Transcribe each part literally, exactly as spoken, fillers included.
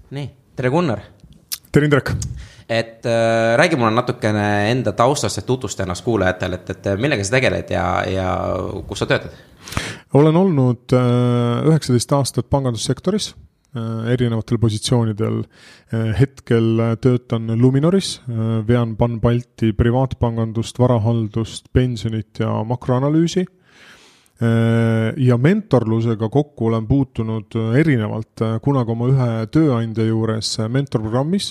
nii, tere Gunnar. Tere Indrek. Et äh, räägi mulle natukene enda taustast, et tutvusta ennast kuulajatel, et, et millega sa tegeled ja, ja kus sa töötad? Olen olnud äh, üheksateist aastat pangandussektoris äh, erinevatel positsioonidel. Äh, hetkel töötan Luminoris, äh, vean Pan-Balti privaatpangandust, varahaldust, pensionit ja makroanalüüsi. Ja mentorlusega kokku olen puutunud erinevalt, kunagi oma ühe tööandja juures mentorprogrammis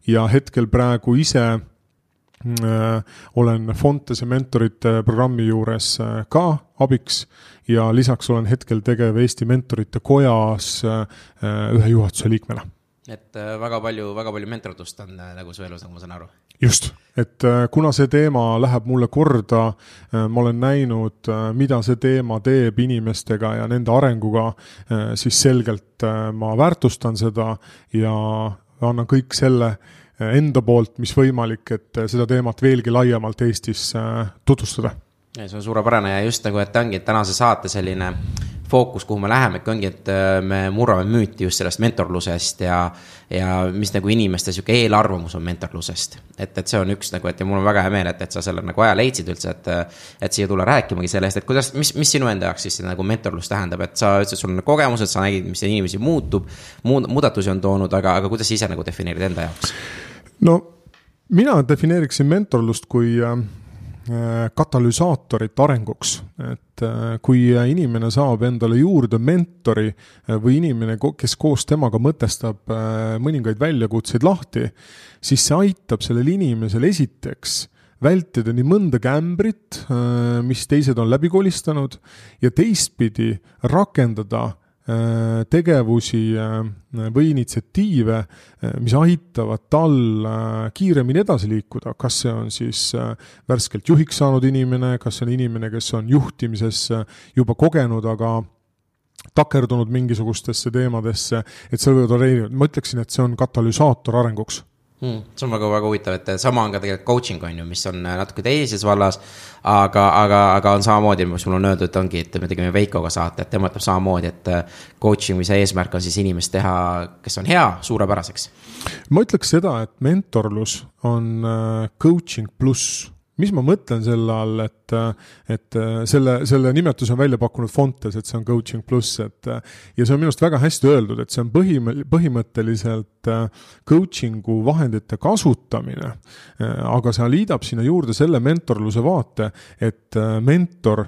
ja hetkel praegu ise äh, olen Fontese mentorite programmi juures ka abiks ja lisaks olen hetkel tegev Eesti mentorite kojas äh, ühe juhatuse liikmena. Et äh, väga palju, väga palju mentordust on äh, nagu su elus, nagu ma saan aru. Just, et kuna see teema läheb mulle korda, ma olen näinud, mida see teema teeb inimestega ja nende arenguga, siis selgelt ma väärtustan seda ja annan kõik selle enda poolt, mis võimalik, et seda teemat veelgi laiemalt Eestis tutvustada. Ja see on suurepärane ja just nagu, et ongi et tänase saate selline fookus, kuhu me läheme, ongi, et me murrame müüti just sellest mentorlusest ja, ja mis nagu inimeste siuke eelarvamus on mentorlusest. Et, et see on üks nagu, et ja mul on väga hea meel, et, et sa selle nagu aja leidsid üldse, et, et siia tule rääkimagi sellest, et kuidas, mis, mis sinu enda jaoks siis nagu mentorlus tähendab, et sa ütlesid, sul on kogemused, sa nägid, mis inimesi muutub, muud, muudatusi on toonud, aga, aga kuidas ise nagu defineerid enda jaoks? No, mina defineeriksin mentorlust kui katalüsaatorit arenguks, et kui inimene saab endale juurde mentori või inimene, kes koos temaga mõtestab mõningaid väljakutseid lahti, siis see aitab sellel inimesel esiteks vältida nii mõnda kämbrit, mis teised on läbi kolistanud ja teistpidi rakendada tegevusi või initsiatiive, mis aitavad tal kiiremini edasi liikuda. Kas see on siis värskelt juhiks saanud inimene, kas see on inimene, kes on juhtimises juba kogenud, aga takerdunud mingisugustesse teemadesse, et see võivad olla, ma ütleksin, et see on katalüsaator arenguks. Hmm, see on väga, väga huvitav, et sama on ka tegelikult coaching on ju, mis on natuke teises vallas, aga, aga, aga on samamoodi, mis mul on öeldud, et ongi, et me tegime Veikoga saate, et tema ütleb samamoodi, et coaching, mis eesmärk on siis inimest teha, kes on hea, suurepäraseks. Ma ütleks seda, et mentorlus on coaching pluss. Mis ma mõtlen selle all, et, et selle, selle nimetus on välja pakkunud Fontes, et see on coaching pluss, et ja see on minust väga hästi öeldud, et see on põhim, põhimõtteliselt coachingu vahendite kasutamine, aga see liidab sinna juurde selle mentorluse vaate, et mentor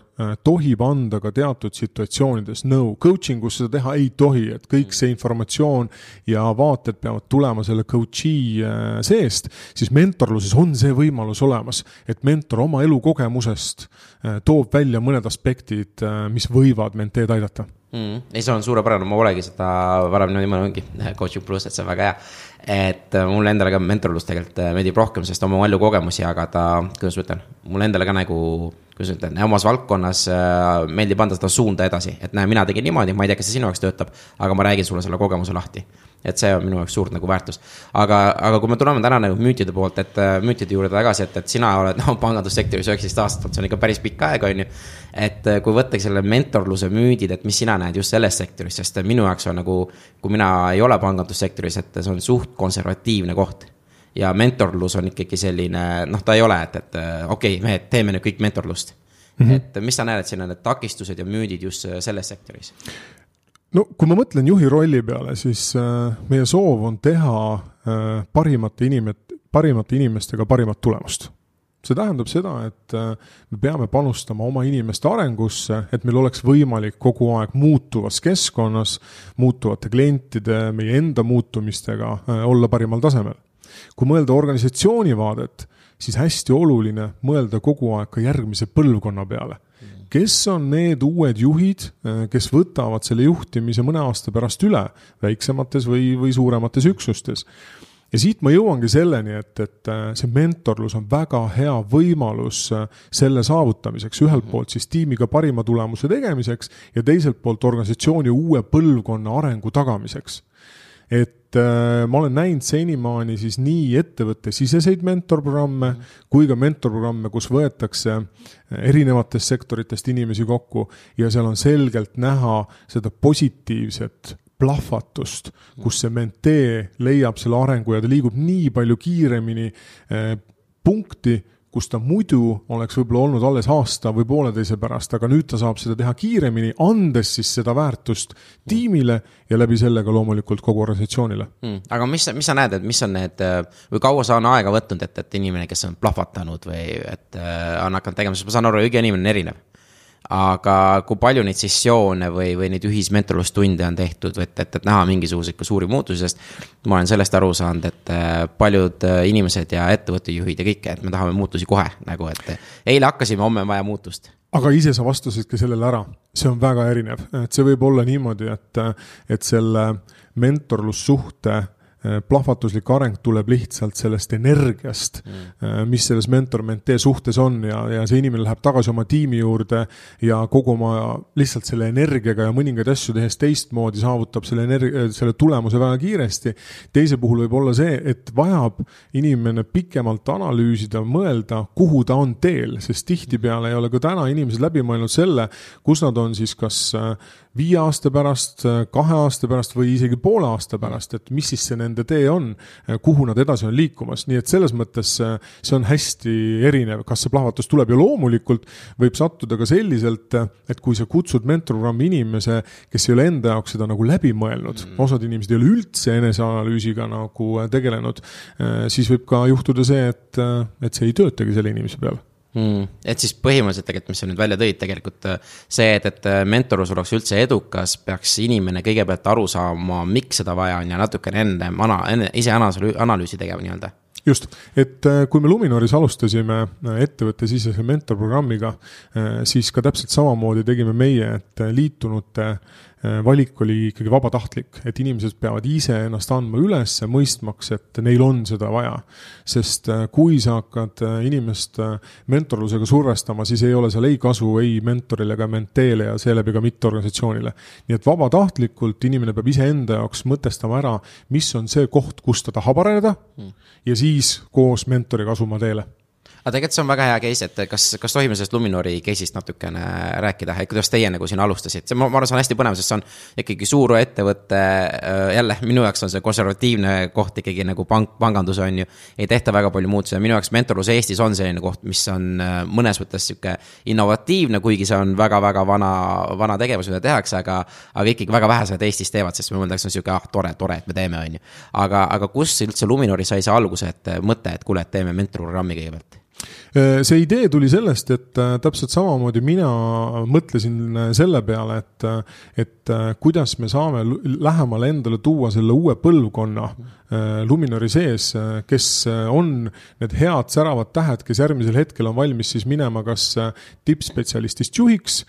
tohib anda ka teatud situatsioonides nõu. Coachingus seda teha ei tohi, et kõik see informatsioon ja vaated peavad tulema selle coachi seest, siis mentorluses on see võimalus olemas, et mentor oma elukogemusest toob välja mõned aspektid, mis võivad menteed aidata. Mm, ei, see on suurepärane, ma olegi seda varem niimoodi ongi coaching plus, et see on väga hea, et mulle endale ka mentorlus tegelikult meeldib rohkem, sest oma elu kogemusi jagada, kuidas ütlen, mulle endale ka nagu, kuidas ütlen, omas valdkonnas meeldib anda seda suunda edasi, et näe, mina tegin niimoodi, ma ei tea, kas see sinu jaoks töötab, aga ma räägin sulle selle kogemuse lahti. Et see on minu jaoks suurt nagu väärtus. Aga, aga kui me tuleme täna nagu müütide poolt, et müütide juurde tagasi, et, et sina oled no, pangandussektoris üheksateist aastat, see on ikka päris pikk aeg, on ju. Et kui võttaks selle mentorluse müüdid, et mis sina näed just selles sektoris, sest minu jaoks on nagu, kui mina ei ole pangandussektoris, et see on suht konservatiivne koht. Ja mentorlus on ikkagi selline, noh, ta ei ole, et, et okei, me teeme nüüd kõik mentorlust. Mm-hmm. Et mis sa näed, et siin on need takistused ja müüdid just selles sektoris? No, kui ma mõtlen juhi rolli peale, siis äh, meie soov on teha äh, parimate, inimet, parimate inimestega parimat tulemust. See tähendab seda, et äh, me peame panustama oma inimeste arengusse, et meil oleks võimalik kogu aeg muutuvas keskkonnas, muutuvate klientide, meie enda muutumistega äh, olla parimal tasemel. Kui mõelda organisatsiooni vaadet, siis hästi oluline mõelda kogu aeg ka järgmise põlvkonna peale. Kes on need uued juhid, kes võtavad selle juhtimise mõne aasta pärast üle väiksemates või, või suuremates üksustes. Ja siit ma jõuangi selleni, et, et see mentorlus on väga hea võimalus selle saavutamiseks. Ühelt poolt siis tiimiga parima tulemuse tegemiseks ja teiselt poolt organisatsiooni uue põlvkonna arengu tagamiseks. Et äh, ma olen näinud senimaani siis nii ettevõtte siseseid mentorprogramme mm. kui ka mentorprogramme, kus võetakse erinevatest sektoritest inimesi kokku ja seal on selgelt näha seda positiivset plahvatust, kus see mentee leiab selle arengu ja ta liigub nii palju kiiremini eh, punkti, kus ta muidu oleks võib-olla olnud alles aasta või pooleteise pärast, aga nüüd ta saab seda teha kiiremini, andes siis seda väärtust tiimile ja läbi sellega loomulikult kogu organisatsioonile. Mm. Aga mis, mis sa näed, et mis on need, või kaua sa on aega võtnud, et, et inimene, kes on plahvatanud või et on hakanud tegema, sest ma saan aru, iga inimene on erinev. Aga kui palju neid sessioone või, või neid ühismentorlustunde on tehtud, et, et, et näha mingisugused suuri muutusi, sest ma olen sellest aru saanud, et paljud inimesed ja ettevõttejuhid ja kõike, et me tahame muutusi kohe, nagu et eile hakkasime, homme on vaja muutust. Aga ise sa vastasidki sellele ära, see on väga erinev, et see võib olla niimoodi, et, et selle mentorlussuhte plahvatuslik areng tuleb lihtsalt sellest energiast, mm. mis selles mentor-mentee suhtes on ja, ja see inimene läheb tagasi oma tiimi juurde ja kogu oma lihtsalt selle energiaga ja mõningaid asju tehes teistmoodi saavutab selle, energia, selle tulemuse väga kiiresti. Teise puhul võib olla see, et vajab inimene pikemalt analüüsida, mõelda, kuhu ta on teel, sest tihtipeale ei ole ka täna inimesed läbi mõelnud selle, kus nad on siis kas viie aasta pärast, kahe aasta pärast või isegi poole aasta pärast, et mis siis see nende tee on, kuhu nad edasi on liikumas. Nii et selles mõttes see on hästi erinev, kas see plahvatus tuleb ja loomulikult võib sattuda ka selliselt, et kui sa kutsud mentorprogrammi inimese, kes ei ole enda jaoks seda nagu läbi mõelnud, mm. osad inimesed ei ole üldse eneseanalüüsiga nagu tegelenud, siis võib ka juhtuda see, et, et see ei töötagi selle inimese peale. Mm. Et siis põhimõtteliselt tegelikult, mis sa nüüd välja tõid, tegelikult see, et, et mentorus oleks üldse edukas, peaks inimene kõigepealt aru saama, miks seda vaja on ja natukene enne, enne, enne ise analüüsi tegema nii-öelda. Just, et kui me Luminoris alustasime ettevõtte sisese mentorprogrammiga, siis ka täpselt samamoodi tegime meie, et liitunute valik oli ikkagi vabatahtlik, et inimesed peavad ise ennast andma üles, mõistmaks, et neil on seda vaja. Sest kui sa hakkad inimest mentorlusega survestama, siis ei ole seal ei kasu ei mentorile ega menteele ja seeläbi ka mitte organisatsioonile. Nii et vabatahtlikult inimene peab ise enda jaoks mõtestama ära, mis on see koht, kus ta tahab areneda mm. ja siis koos mentoriga asuma teele. Aga tegelikult see on väga hea case, et kas, kas tohime sellest Luminori case'ist natukene rääkida, et kuidas teie nagu siin alustasid? See, ma arvan, see on hästi põnev, sest see on ikkagi suur ettevõtte, jälle minu jaoks on see konservatiivne koht ikkagi nagu pank, pangandus on ju, ei tehta väga palju muutusi ja minu jaoks mentorlus Eestis on selline koht, mis on mõnes võttes siuke innovatiivne, kuigi see on väga-väga vana, vana tegevus, mida tehakse, aga, aga ikkagi väga vähesed Eestis teevad, sest me mõeldaks, on siuke, ah, tore, tore, et me teeme, on ju. Aga, aga kus üldse Luminori sai see alguse, et mõte, et kuule, et teeme mentorprogrammi kõigepealt? See idee tuli sellest, et täpselt samamoodi mina mõtlesin selle peale, et, et kuidas me saame lähemale endale tuua selle uue põlvkonna Luminori sees, kes on need head säravad tähed, kes järgmisel hetkel on valmis siis minema kas tippspetsialistist juhiks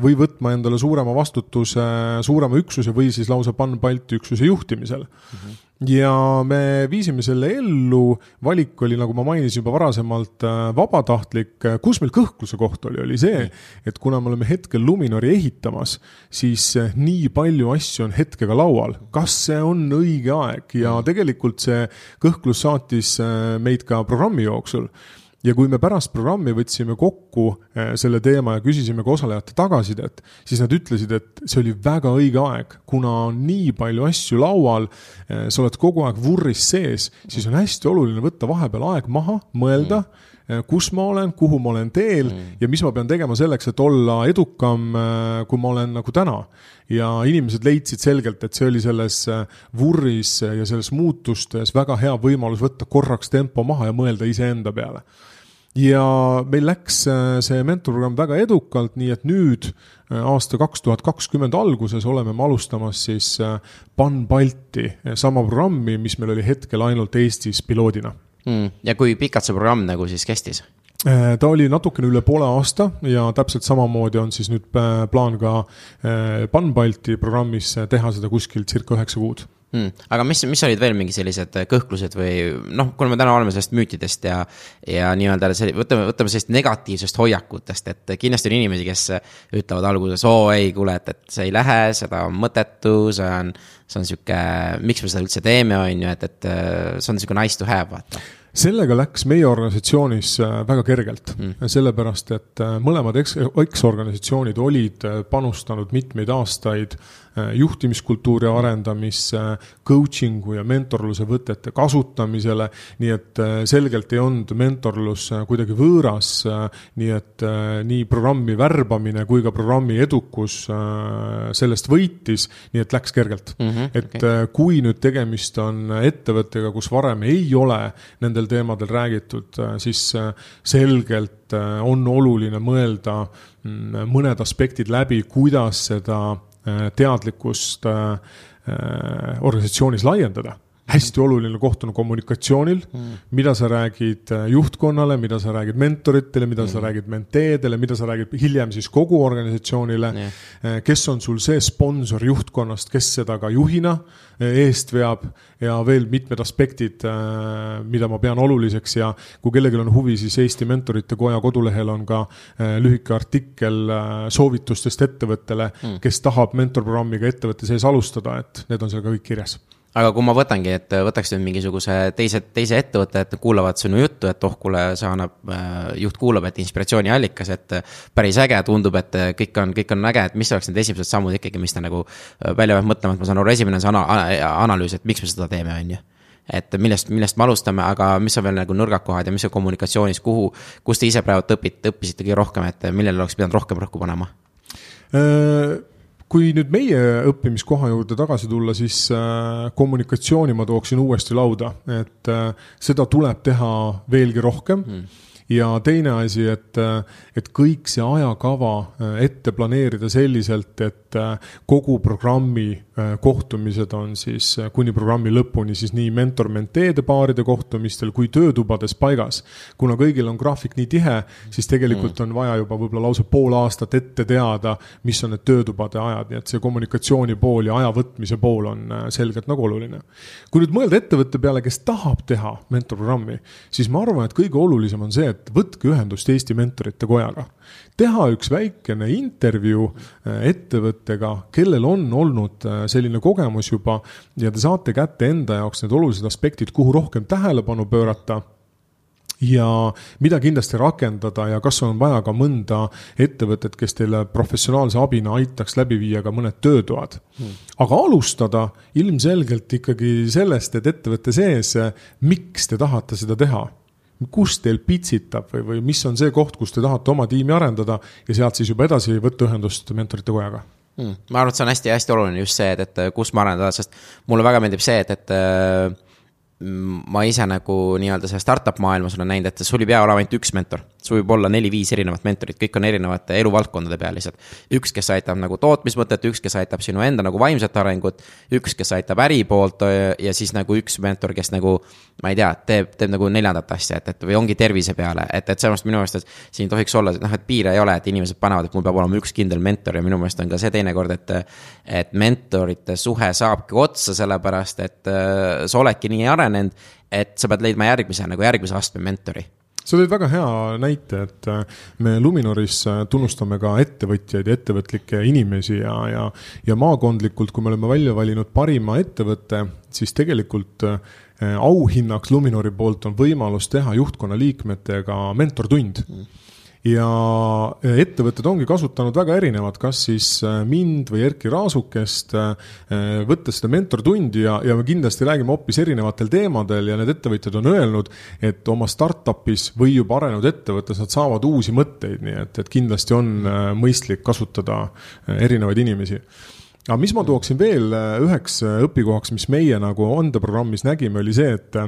või võtma endale suurema vastutuse, suurema üksuse või siis lausa Pan-Balti üksuse juhtimisel. Mm-hmm. Ja me viisime selle ellu, valik oli, nagu ma mainisin juba varasemalt, vabatahtlik, kus meil kõhkluse koht oli, oli see, et kuna me oleme hetkel Luminori ehitamas, siis nii palju asju on hetkega laual. Kas see on õige aeg? Ja tegelikult see kõhklus saatis meid ka programmi jooksul. Ja kui me pärast programmi võtsime kokku selle teema ja küsisime ka osalejate tagasidet, siis nad ütlesid, et see oli väga õige aeg, kuna on nii palju asju laual, sa oled kogu aeg vurris sees, siis on hästi oluline võtta vahepeal aeg maha, mõelda, kus ma olen, kuhu ma olen teel ja mis ma pean tegema selleks, et olla edukam, kui ma olen nagu täna. Ja inimesed leidsid selgelt, et see oli selles vurris ja selles muutustes väga hea võimalus võtta korraks tempo maha ja mõelda ise enda peale. Ja meil läks see mentorprogramm väga edukalt, nii et nüüd aasta kaks tuhat kakskümmend alguses oleme me alustamas siis Pan-Balti sama programmi, mis meil oli hetkel ainult Eestis piloodina. Mm. Ja kui pikalt see programm nagu siis kestis? Ta oli natukene üle poole aasta ja täpselt samamoodi on siis nüüd plaan ka Pan-Balti programmis teha seda kuskil circa üheksa kuud. Hmm. Aga mis, mis olid veel mingi sellised kõhklused või noh, kuna me täna oleme sellest müütidest ja, ja nii-öelda võtame, võtame sellist negatiivsest hoiakutest, et kindlasti on inimesi, kes ütlevad alguses, oo ei, kuule, et, et see ei lähe, seda on mõttetu, see on, see on siuke, miks me seda üldse teeme, on ju, et, et see on siuke nice to have, vaata. sellega läks meie organisatsioonis väga kergelt, mm. sellepärast, et mõlemad eks-organisatsioonid olid panustanud mitmeid aastaid juhtimiskultuuri arendamisse, coachingu ja mentorluse võtete kasutamisele, nii et selgelt ei olnud mentorlus kuidagi võõras, nii et nii programmi värbamine kui ka programmi edukus sellest võitis, nii et läks kergelt. Mm-hmm, et okay. Kui nüüd tegemist on ettevõttega, kus varem ei ole nendel teemadel räägitud, siis selgelt on oluline mõelda mõned aspektid läbi, kuidas seda teadlikkust organisatsioonis laiendada. Hästi oluline koht on kommunikatsioonil, mm. mida sa räägid juhtkonnale, mida sa räägid mentoritele, mida mm. sa räägid menteedele, mida sa räägid hiljem siis kogu organisatsioonile, yeah. kes on sul see sponsor juhtkonnast, kes seda ka juhina eest veab ja veel mitmed aspektid, mida ma pean oluliseks ja kui kellelgi on huvi, siis Eesti Mentorite Koja kodulehel on ka lühike artikkel soovitustest ettevõttele, mm. kes tahab mentorprogrammiga ettevõtte sees alustada, et need on seal ka kõik kirjas. Aga kui ma võtangi, et võtaks nüüd mingisuguse teise, teise ettevõtte, et kuulavad sinu juttu, et oh, kuule, see annab, juht kuulab, et inspiratsiooni allikas, et päris äge tundub, et kõik on, kõik on äge, et mis oleks need esimesed sammud ikkagi, mis ta nagu välja peab mõtlema, et ma saan aru, esimene on see ana- analüüs, et miks me seda teeme, on ju. Et millest, millest me alustame, aga mis on veel nagu nõrgakohad ja mis on kommunikatsioonis, kuhu, kus te ise praegu õpite, õppisite kõige rohkem, et millele oleks pidanud rohkem rõhku panema? Kui nüüd meie õppimiskoha juurde tagasi tulla, siis kommunikatsiooni ma tooksin uuesti lauda, et seda tuleb teha veelgi rohkem. Hmm. Ja teine asi, et, et kõik see ajakava ette planeerida selliselt, et kogu programmi kohtumised on siis kuni programmi lõpuni siis nii mentor-menteede paaride kohtumistel kui töötubades paigas. Kuna kõigil on graafik nii tihe, siis tegelikult on vaja juba võib-olla lausa pool aastat ette teada, mis on need töötubade ajad, nii et see kommunikatsiooni pool ja aja võtmise pool on selgelt nagu oluline. Kui nüüd mõelda ettevõtte peale, kes tahab teha mentorprogrammi, siis ma arvan, et kõige olulisem on see, et võtke ühendust Eesti Mentorite Kojaga. Teha üks väikene intervjuu ettevõttega, kellel on olnud selline kogemus juba ja te saate kätte enda jaoks need olulised aspektid, kuhu rohkem tähelepanu pöörata ja mida kindlasti rakendada ja kas on vaja ka mõnda ettevõtet, kes teile professionaalse abina aitaks läbi viia ka mõned töötoad. Hmm. Aga alustada ilmselgelt ikkagi sellest, et ettevõtte sees, miks te tahate seda teha? Kus teil pitsitab või, või mis on see koht, kus te tahate oma tiimi arendada ja sealt siis juba edasi võtta ühendust Mentorite Kojaga? Hmm. Ma arvan, et see on hästi, hästi oluline just see, et, et kus ma arendada, sest mulle väga meeldib see, et, et ma ise nagu nii-öelda see startup maailmas olen näinud, et sul ei pea olema ainult üks mentor, sul võib olla neli-viis erinevat mentorit, kõik on erinevate eluvaldkondade peal lihtsalt. Üks, kes aitab nagu tootmismõtet, üks, kes aitab sinu enda nagu vaimset arengut, üks, kes aitab äri poolt ja siis nagu üks mentor, kes nagu, ma ei tea, teeb, teeb nagu neljandat asja, et, et või ongi tervise peale, et, et sellest minu meelest, et siin tohiks olla, noh, et piire ei ole, et inimesed panevad, et mul peab olema üks kindel mentor ja minu meelest on ka see teine kord, et, et mentorite suhe saabki otsa sellepärast, et sa oledki nii arenenud, et sa pead leidma järgmise, nagu järgmise astme mentori. Sa tõid väga hea näite, et me Luminoris tunnustame ka ettevõtjaid ja ettevõtlikke inimesi ja, ja, ja maakondlikult, kui me oleme välja valinud parima ettevõtte, siis tegelikult auhinnaks Luminori poolt on võimalus teha juhtkonna liikmetega mentortund. Mm. Ja ettevõtted ongi kasutanud väga erinevad, kas siis mind või Erki Raasukest võttes seda mentortundi ja, ja me kindlasti räägime hoopis erinevatel teemadel ja need ettevõtjad on öelnud, et oma startupis või juba arenenud ettevõttes nad saavad uusi mõtteid, nii et, et kindlasti on mõistlik kasutada erinevaid inimesi. Aga mis ma tooksin veel üheks õpikohaks, mis meie nagu Onde-programmis nägime, oli see, et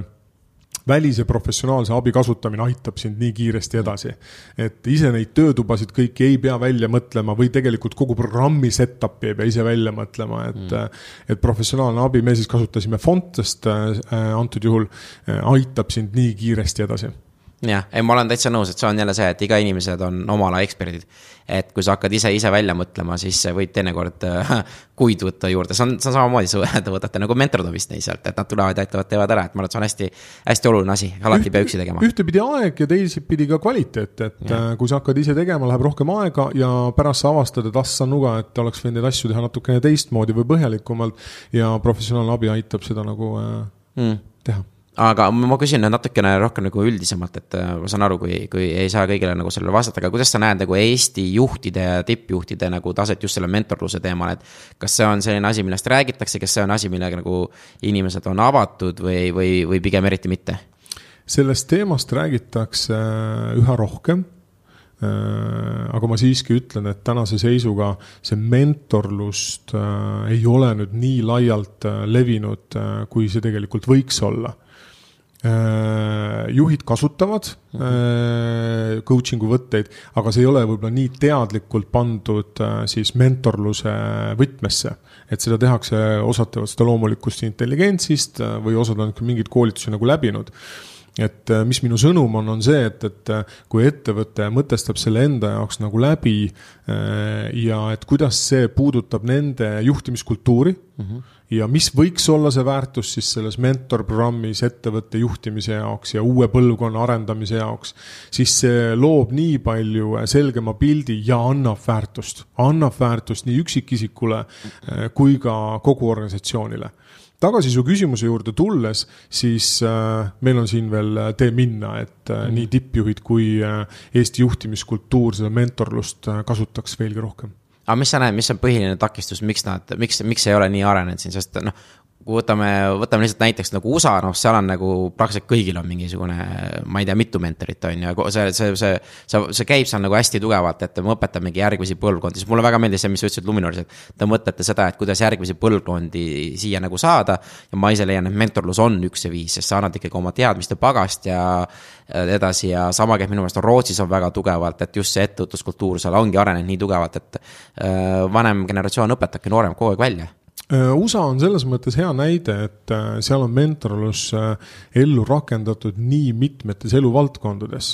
välise professionaalse abi kasutamine aitab sind nii kiiresti edasi. Et ise neid töötubasid kõiki ei pea välja mõtlema või tegelikult kogu programmi setupi ei pea ise välja mõtlema, et, mm. et professionaalne abi, me siis kasutasime Fontest äh, antud juhul, äh, aitab sind nii kiiresti edasi. Jah, ei, ma olen täitsa nõus, et see on jälle see, et iga inimesed on oma ala eksperdid. Et kui sa hakkad ise ise välja mõtlema, siis võib teinekord äh, kuid võtta juurde. See on, see on samamoodi, sa võtate nagu mentordovist neisalt, et nad tulevad ja aitavad teevad ära. Et ma arvan, et see on hästi, hästi oluline asi, alati Üht, pea üksi tegema. Ühtepidi aeg ja teisipidi ka kvaliteet, et ja. Kui sa hakkad ise tegema, läheb rohkem aega ja pärast sa avastad, et assa nuga, et oleks võinud neid asju teha natukene teistmoodi või põhjalikumalt ja professionaalne abi aitab seda nagu äh, mm. teha. aga ma küsin natukene rohkem nagu üldisemalt, et ma saan aru, kui, kui ei saa kõigile nagu sellele vastata, aga kuidas sa näed nagu Eesti juhtide ja tippjuhtide nagu taset just selle mentorluse teemal, et kas see on selline asi, millest räägitakse, kas see on asi, millega nagu inimesed on avatud või, või, või pigem eriti mitte? Sellest teemast räägitakse üha rohkem, aga ma siiski ütlen, et tänase seisuga see mentorlust ei ole nüüd nii laialt levinud, kui see tegelikult võiks olla. Juhid kasutavad coachingu võtteid, aga see ei ole võib-olla nii teadlikult pandud siis mentorluse võtmesse, et seda tehakse, osad teevad seda loomulikust intelligentsist või osad on mingid koolitusi nagu läbinud. Et mis minu sõnum on, on see, et, et kui ettevõte mõtestab selle enda jaoks nagu läbi ja et kuidas see puudutab nende juhtimiskultuuri mm-hmm. ja mis võiks olla see väärtus siis selles mentorprogrammis ettevõtte juhtimise jaoks ja uue põlvkonna arendamise jaoks, siis see loob nii palju selgema pildi ja annab väärtust. Annab väärtust nii üksikisikule kui ka kogu organisatsioonile. Tagasi su küsimuse juurde tulles, siis äh, meil on siin veel tee minna, et äh, mm. nii tippjuhid kui äh, Eesti juhtimiskultuur seda mentorlust äh, kasutaks veelgi rohkem. Aga mis sa näed, mis on põhiline takistus, miks, nad, miks, miks ei ole nii arenenud siin, sest noh, kui võtame, võtame lihtsalt näiteks nagu U S A, noh, seal on nagu praktiliselt kõigil on mingisugune, ma ei tea, mitu mentorit on ja see, see, see, see, see käib seal nagu hästi tugevalt, et me õpetamegi järgmisi põlvkondi, siis mulle väga meeldis see, mis sa ütlesid Luminoris, et te mõtlete seda, et kuidas järgmisi põlvkondi siia nagu saada ja ma ise leian, et mentorlus on üks ja viis, sest sa annad ikkagi oma teadmiste pagast ja edasi ja sama käib minu meelest on Rootsis on väga tugevalt, et just see ettevõtluskultuur seal ongi arenenud nii tugevalt, et vanem generatsioon õpetabki noorem kogu aeg välja. U S A on selles mõttes hea näide, et seal on mentorlus ellu rakendatud nii mitmetes eluvaldkondades.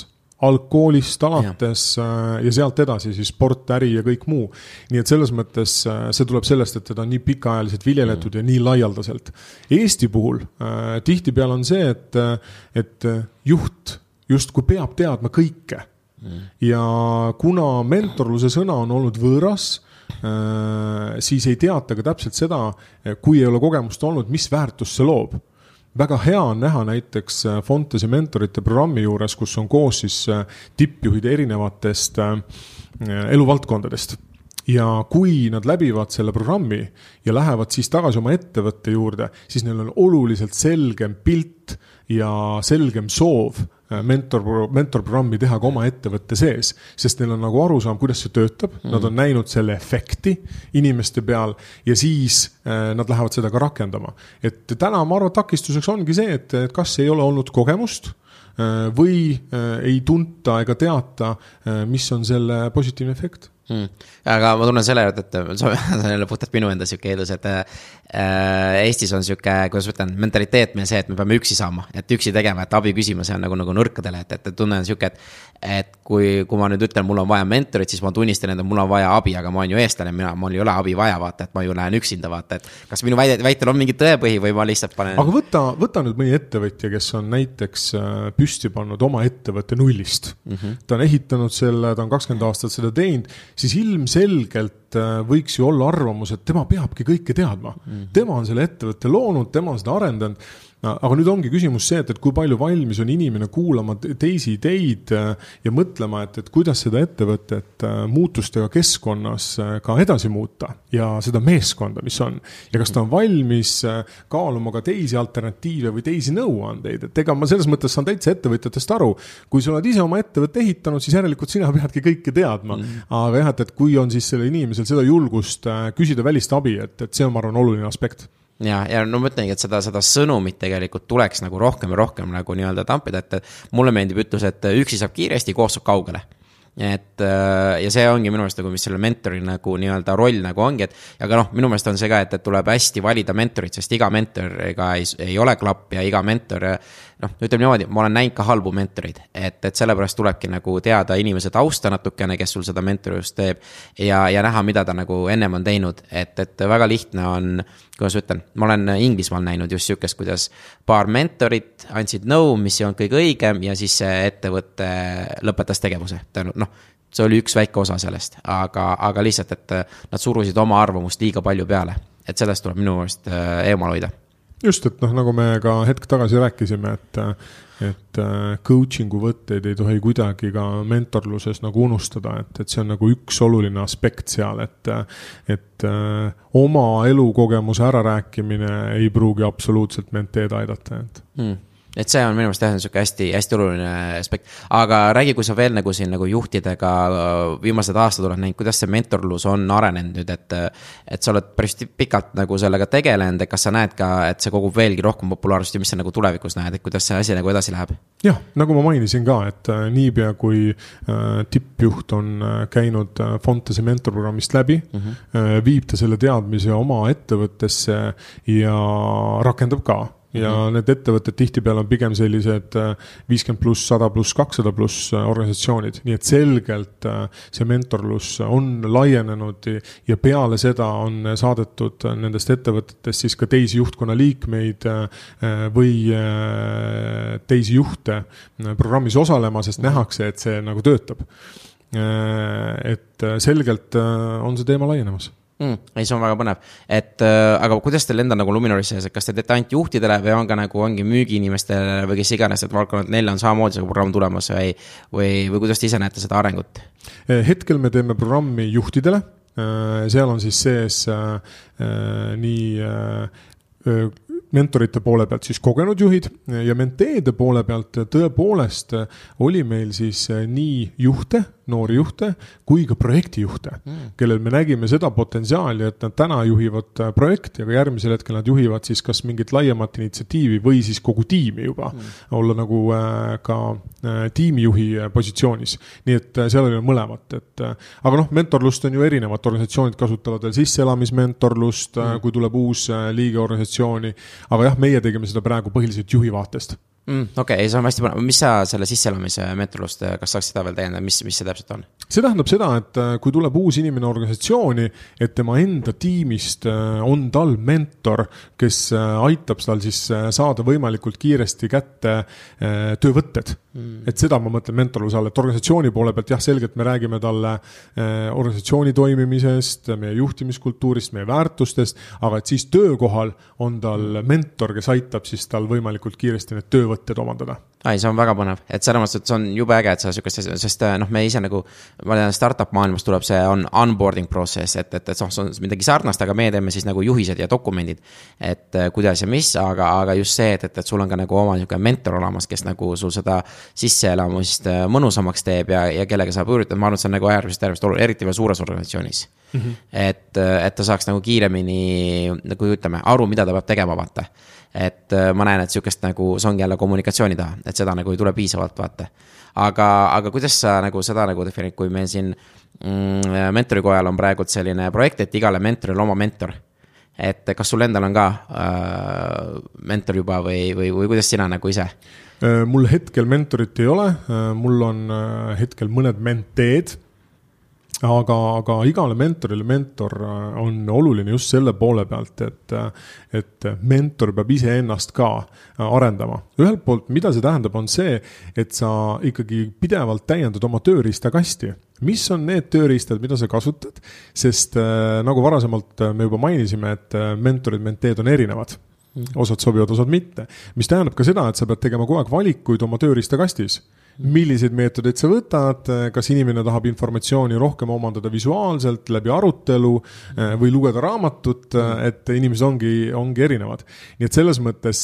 Algkoolist alates ja. ja sealt edasi siis sport, äri ja kõik muu. Nii et selles mõttes see tuleb sellest, et teda on nii pikaajaliselt viljeletud mm. ja nii laialdaselt. Eesti puhul äh, tihti peal on see, et, et juht justkui peab teadma kõike. Mm. Ja kuna mentorluse sõna on olnud võõras, siis ei teata ka täpselt seda, kui ei ole kogemust olnud, mis väärtus see loob. Väga hea on näha näiteks Fontesi mentorite programmi juures, kus on koos siis tippjuhid erinevatest eluvaldkondadest. Ja kui nad läbivad selle programmi ja lähevad siis tagasi oma ettevõtte juurde, siis neil on oluliselt selgem pilt ja selgem soov mentor, mentorprogrammi teha ka oma ettevõtte sees, sest neil on nagu aru saam, kuidas see töötab, mm. nad on näinud selle efekti inimeste peal ja siis äh, nad lähevad seda ka rakendama. Et täna ma arvan, takistuseks ongi see, et, et kas ei ole olnud kogemust äh, või äh, ei tunta ega teata, äh, mis on selle positiivne efekt. Hmm. Aga ma tunnen selle, et, et see on jälle puhtalt minu enda siuke eeldus, et äh, Eestis on siuke, kuidas võtan, mentaliteet meil see, et me peame üksi saama, et üksi tegema, et abi küsima, see on nagu, nagu nõrkadele, et, et tunnen siuke, et, et kui, kui ma nüüd ütlen, mul on vaja mentorit, siis ma tunnistan, et mul on vaja abi, aga ma olen ju eestlane, mina, mul ei ole abi vaja, vaata, et ma ju lähen üksinda, vaata, et kas minu väide, väitel on mingi tõepõhi või ma lihtsalt panen. Aga võta, võta nüüd mõni ettevõtja, kes on näiteks püsti pannud oma ettevõtte nullist. Mm-hmm. Ta on ehitanud selle, ta on kakskümmend aastat seda teinud, siis ilmselgelt võiks ju olla arvamus, et tema peabki kõike teadma. Mm-hmm. Tema on selle ettevõtte loonud, tema on seda arendanud. Aga nüüd ongi küsimus see, et, et kui palju valmis on inimene kuulama teisi ideid ja mõtlema, et, et kuidas seda ettevõtet muutustega keskkonnas ka edasi muuta ja seda meeskonda, mis on. Ja kas ta on valmis kaaluma ka teisi alternatiive või teisi nõuandeid. Et ega ma selles mõttes saan täitsa ettevõtjatest aru. Kui sa oled ise oma ettevõtte ehitanud, siis järelikult sina peadki kõike teadma. Mm. Aga jah, et, et kui on siis selle inimesel seda julgust küsida välist abi, et, et see on, ma arvan, oluline aspekt. Ja, ja no ma ütlengi, et seda, seda sõnumit tegelikult tuleks nagu rohkem ja rohkem nagu nii-öelda tampida, et mulle meeldib ütlus, et üksi saab kiiresti, koos saab kaugele. Et, ja see ongi minu meelest nagu, mis selle mentori nagu nii-öelda roll nagu ongi, et aga noh, minu meelest on see ka, et, et tuleb hästi valida mentorit, sest iga mentor ega ei, ei ole klapp ja iga mentor, noh, ütleme niimoodi, ma olen näinud ka halbu mentorid, et, et sellepärast tulebki nagu teada inimese tausta natukene, kes sul seda mentorist teeb ja, ja näha, mida ta nagu ennem on teinud, et, et väga lihtne on, kuidas ütlen, ma olen Inglismaal näinud just siukest, kuidas paar mentorit andsid nõu, mis ei olnud kõige õigem ja siis see ettevõtte lõpetas tegevuse. Noh, see oli üks väike osa sellest, aga, aga lihtsalt, et nad surusid oma arvamust liiga palju peale, et sellest tuleb minu meelest eemal hoida. just, et noh, nagu me ka hetk tagasi rääkisime, et et coaching'u võtteid ei tohi kuidagi ka mentorluses nagu unustada, et, et see on nagu üks oluline aspekt seal, et et oma elukogemuse ära rääkimine ei pruugi absoluutselt menteed aidata. Et. Hmm. Et see on minu meelest tähendab hästi, hästi oluline aspekt. Aga räägi, kui sa veel nagu siin nagu juhtidega viimased aastad oled näinud, kuidas see mentorlus on arenenud nüüd, et, et sa oled päris pikalt nagu sellega tegelenud, et kas sa näed ka, et see kogub veelgi rohkem populaarsust ja mis sa nagu tulevikus näed, et kuidas see asi nagu edasi läheb? Jah, nagu ma mainisin ka, et niipea kui tippjuht on käinud Fontese mentorprogrammist läbi, uh-huh. viib ta selle teadmise oma ettevõttesse ja rakendab ka. Ja mm-hmm. need ettevõtted tihtipeale on pigem sellised viiskümmend pluss, sada pluss, kakssada pluss organisatsioonid. Nii et selgelt see mentorlus on laienenud ja peale seda on saadetud nendest ettevõtetest siis ka teisi juhtkonna liikmeid või teisi juhte programmis osalema, sest nähakse, et see nagu töötab. Et selgelt on see teema laienemas. Mm, ei, see on väga põnev. Et, äh, aga kuidas teil enda nagu Luminoris, kas te teete ainult juhtidele või on ka nagu ongi müügiinimestele või kes iganes, et valdkonnad neil on samamoodi see programm tulemas või, või, või kuidas te ise näete seda arengut? Hetkel me teeme programmi juhtidele. Seal on siis sees äh, nii äh, mentorite poole pealt siis kogenud juhid ja menteede poole pealt tõepoolest oli meil siis nii juhte, noori juhte, kui ka projektijuhte, mm. kellel me nägime seda potentsiaali, et nad täna juhivad projekti, aga järgmisel hetkel nad juhivad siis kas mingit laiemat initsiatiivi või siis kogu tiimi juba, mm. olla nagu ka tiimijuhi positsioonis. Nii et seal oli mõlemat. Et, aga noh, mentorlust on ju erinevad organisatsioonid kasutavad veel sisseelamismentorlust, mm. kui tuleb uus liige organisatsiooni, aga jah, meie tegime seda praegu põhiliselt juhi vaatest. Mm, Okei, okay, see on hästi põnev. Mis sa selle sisseelamise mentorlust, kas saaks seda veel täiendada, mis, mis see täpselt on? See tähendab seda, et kui tuleb uus inimene organisatsiooni, et tema enda tiimist on tal mentor, kes aitab tal siis saada võimalikult kiiresti kätte töövõtted. Mm. Et seda ma mõtlen mentorluse all, et organisatsiooni poole pealt jah, selgelt me räägime talle organisatsiooni toimimisest, meie juhtimiskultuurist, meie väärtustest, aga et siis töökohal on tal mentor, kes aitab siis tal võimalikult kiiresti need töövõtted omandada. Ai, see on väga põnev, et selles mõttes, et see on jube äge, et sa sükest, sest noh, me ise nagu, ma tean, startup maailmas tuleb see on onboarding process, et, et, et see on midagi sarnast, aga me teeme siis nagu juhised ja dokumendid, et kuidas ja mis, aga, aga just see, et, et, et sul on ka nagu oma mentor olemas, kes nagu sul seda sisseelamust mõnusamaks teeb ja, ja kellega saab üritada, ma arvan, et see on nagu äärmiselt, äärmiselt oluline, eriti veel suures organisatsioonis. Mm-hmm. Et, et ta saaks nagu kiiremini, nagu ütleme, aru, mida ta peab tegema, vaata. Et ma näen, et sükest nagu see ongi jälle kommunikatsiooni taha, et seda nagu ei tule piisavalt, vaata. Aga, aga kuidas sa nagu seda nagu defineerid, kui meil siin mm, mentorikojal on praegu selline projekt, et igale mentoril oma mentor. Et kas sul endal on ka äh, mentor juba või, või, või kuidas sina nagu ise? Mul hetkel mentorit ei ole, mul on hetkel mõned menteed, aga, aga igale mentorile mentor on oluline just selle poole pealt, et, et mentor peab ise ennast ka arendama. Ühelt poolt, mida see tähendab, on see, et sa ikkagi pidevalt täiendad oma tööriistakasti. Mis on need tööriistad, mida sa kasutad? Sest nagu varasemalt me juba mainisime, et mentorid, menteed on erinevad. Osad sobivad, osad mitte. Mis tähendab ka seda, et sa pead tegema kogu aeg valikuid oma tööriistakastis. Milliseid meetodeid sa võtad, kas inimene tahab informatsiooni rohkem omandada visuaalselt läbi arutelu või lugeda raamatut, et inimesed ongi, ongi erinevad. Nii et selles mõttes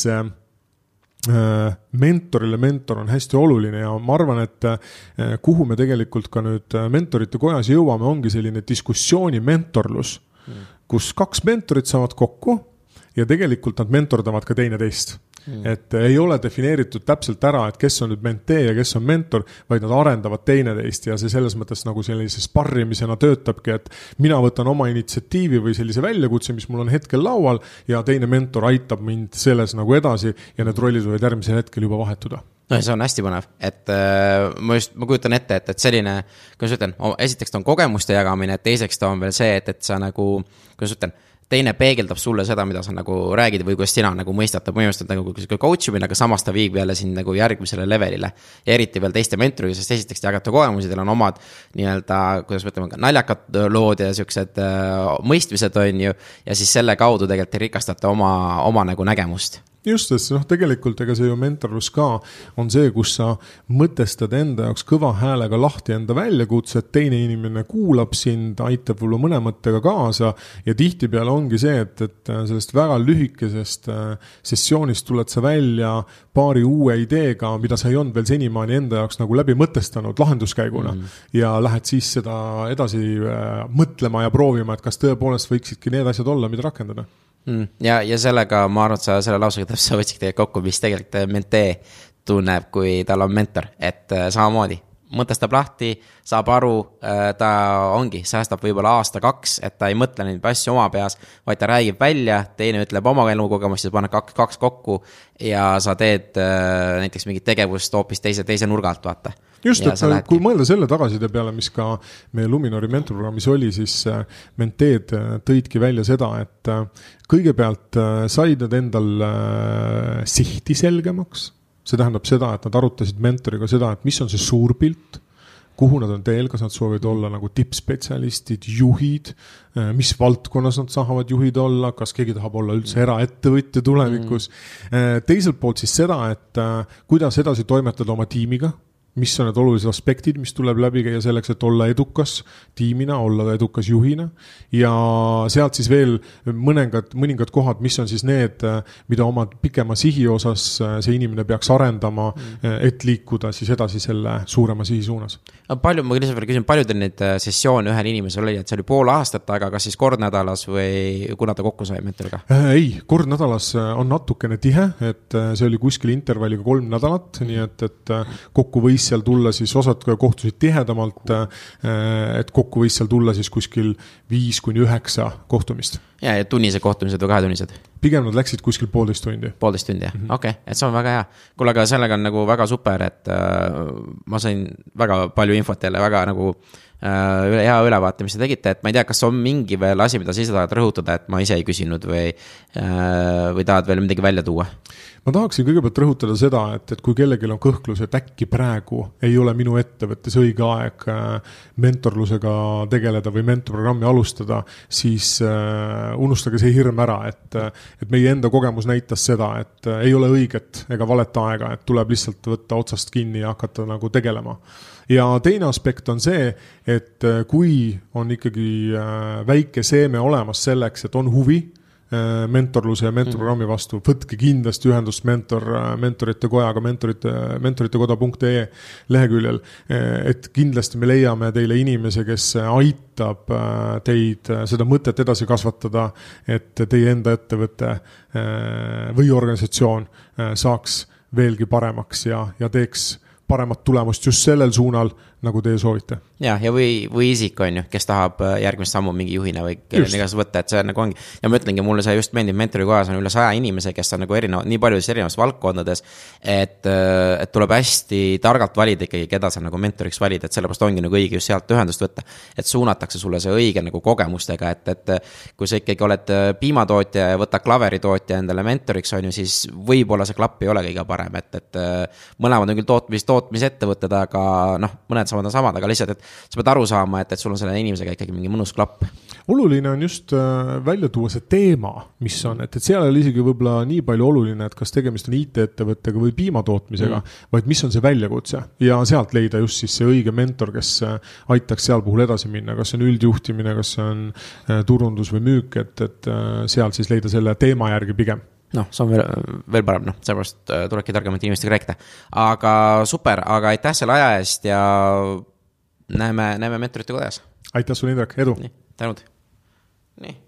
mentorile mentor on hästi oluline ja ma arvan, et kuhu me tegelikult ka nüüd mentorite kojas jõuame, ongi selline diskussiooni mentorlus, kus kaks mentorit saavad kokku ja tegelikult nad mentordavad ka teine teist. Mm. Et ei ole defineeritud täpselt ära, et kes on nüüd mentee ja kes on mentor, vaid nad arendavad teine teist ja see selles mõttes nagu sellise sparrimisena töötabki, et mina võtan oma initsiatiivi või sellise väljakutse, mis mul on hetkel laual ja teine mentor aitab mind selles nagu edasi ja need rollid võivad järgmisel hetkel juba vahetuda. No see on hästi põnev, et äh, ma just, ma kujutan ette, et, et selline, kuidas ütlen, esiteks ta on kogemuste jagamine, et teiseks ta on veel see, et, et sa nagu, kuidas ütlen, teine peegeldab sulle seda, mida sa nagu räägid või kuidas sina nagu mõistad, ta põhimõtteliselt nagu coach imine, aga samas ta viib jälle sind nagu järgmisele levelile. Ja eriti veel teiste mentoriga, sest esiteks te jagate kogemusi, teil on omad nii-öelda, kuidas võtleme, naljakad lood ja siuksed äh, mõistmised on ju, ja siis selle kaudu tegelikult te rikastate oma, oma nagu nägemust. Just, sest noh, tegelikult ega see ju mentorlus ka on see, kus sa mõtestad enda jaoks kõva häälega lahti enda väljakutse, et teine inimene kuulab sind, aitab võib-olla mõne mõttega kaasa ja tihtipeale ongi see, et, et sellest väga lühikesest sessioonist tuled sa välja paari uue ideega, mida sa ei olnud veel senimaani enda jaoks nagu läbi mõtestanud lahenduskäiguna mm. ja lähed siis seda edasi mõtlema ja proovima, et kas tõepoolest võiksidki need asjad olla, mida rakendada. Mm. Ja, ja sellega ma arvan, et sa selle lausega sa võtsid tegelikult kokku, mis tegelikult mentee tunneb, kui tal on mentor, et samamoodi mõtestab lahti, saab aru, ta ongi, säästab võib-olla aasta kaks, et ta ei mõtle neid asju oma peas, vaid ta räägib välja, teine ütleb oma elukogemust, siis paned kaks, kaks kokku ja sa teed näiteks mingit tegevust hoopis teise, teise nurga alt, vaata. Just, et lähedki. Kui mõelda selle tagaside peale, mis ka meie Luminori mentorprogrammis oli, siis menteed tõidki välja seda, et kõigepealt said nad endal sihti selgemaks. See tähendab seda, et nad arutasid mentoriga seda, et mis on see suur pilt, kuhu nad on teel, kas nad soovivad olla nagu tippspetsialistid, juhid, mis valdkonnas nad saavad juhid olla, kas keegi tahab olla üldse eraettevõtja tulevikus. Mm. Teiselt poolt siis seda, et kuidas edasi toimetada oma tiimiga, mis on need olulised aspektid, mis tuleb läbi käia selleks, et olla edukas tiimina, olla edukas juhina ja sealt siis veel mõningad, mõningad kohad, mis on siis need, mida oma pikema sihi osas see inimene peaks arendama, mm. et liikuda siis edasi selle suurema sihi suunas. Palju, ma lihtsalt veel küsin, palju teil neid sessioone ühel inimesel oli, et see oli pool aastat, aga kas siis kord nädalas või kuna ta kokku sai mentoriga? Ei, kord nädalas on natukene tihe, et see oli kuskil intervalliga kolm nädalat, nii et, et kokku võis seal tulla siis osad kohtusid tihedamalt, et kokku võis seal tulla siis kuskil viis kuni üheksa kohtumist. Ja, ja tunnised kohtumised või kahetunnised? Pigem nad läksid kuskil poolteist tundi. Poolteist tundi, jah. Mm -hmm. Okei, okay. Et see on väga hea. Kuule, aga sellega on nagu väga super, et äh, ma sain väga palju infot jälle, väga nagu äh, üle, hea ülevaate, mis te tegite, et ma ei tea, kas on mingi veel asi, mida sa ise tahad rõhutada, et ma ise ei küsinud või, äh, või tahad veel midagi välja tuua? Ma tahaksin kõigepealt rõhutada seda, et, et kui kellelgi on kõhklus, et äkki praegu ei ole minu ettevõttes õige aeg mentorlusega tegeleda või mentorprogrammi alustada, siis äh, unustage see hirm ära, et, et meie enda kogemus näitas seda, et äh, ei ole õiget ega valet aega, et tuleb lihtsalt võtta otsast kinni ja hakata nagu tegelema. Ja teine aspekt on see, et kui on ikkagi äh, väike seeme olemas selleks, et on huvi mentorluse ja mentorprogrammi vastu, võtke kindlasti ühendust mentor, mentorite kojaga, mentorite, mentoritekoda punkt ee leheküljel, et kindlasti me leiame teile inimese, kes aitab teid seda mõtet edasi kasvatada, et teie enda ettevõte või organisatsioon saaks veelgi paremaks ja, ja teeks paremat tulemust just sellel suunal, nagu teie soovite. Ja, ja või, või isik on ju, kes tahab järgmist sammu mingi juhina või kelleni igas võtta, et see nagu ongi. Ja ma ütlengi, mulle see just meeldib, mentori kojas on üle saja inimese, kes on nagu erinevad, nii paljudes erinevas valdkondades, et, et tuleb hästi targalt valida ikkagi, keda sa nagu mentoriks valid, et sellepärast ongi nagu õige just sealt ühendust võtta, et suunatakse sulle see õige nagu kogemustega, et, et kui sa ikkagi oled piimatootja ja võta klaveritootja endale mentoriks on ju, siis võib-olla see klapp ei ole kõige parem, et, et mõlemad on küll tootmis, tootmisettevõtted, aga noh, mõned samad on samad, aga lihtsalt, et sa pead aru saama, et, et sul on selle inimesega ikkagi mingi mõnus klapp. Oluline on just välja tuua see teema, mis on, et, et seal oli isegi võib-olla nii palju oluline, et kas tegemist on I T-ettevõttega või piimatootmisega, mm. vaid mis on see väljakutse ja sealt leida just siis see õige mentor, kes aitaks seal puhul edasi minna, kas see on üldjuhtimine, kas see on turundus või müük, et, et seal siis leida selle teema järgi pigem. Noh, see on veel, veel parem, noh, sellepärast tulebki targemate inimestega rääkida. Aga super, aga aitäh selle aja eest ja näeme, näeme mentorite kodas. Aitäh sulle, Indrek, edu! Nii, tänud. Nii.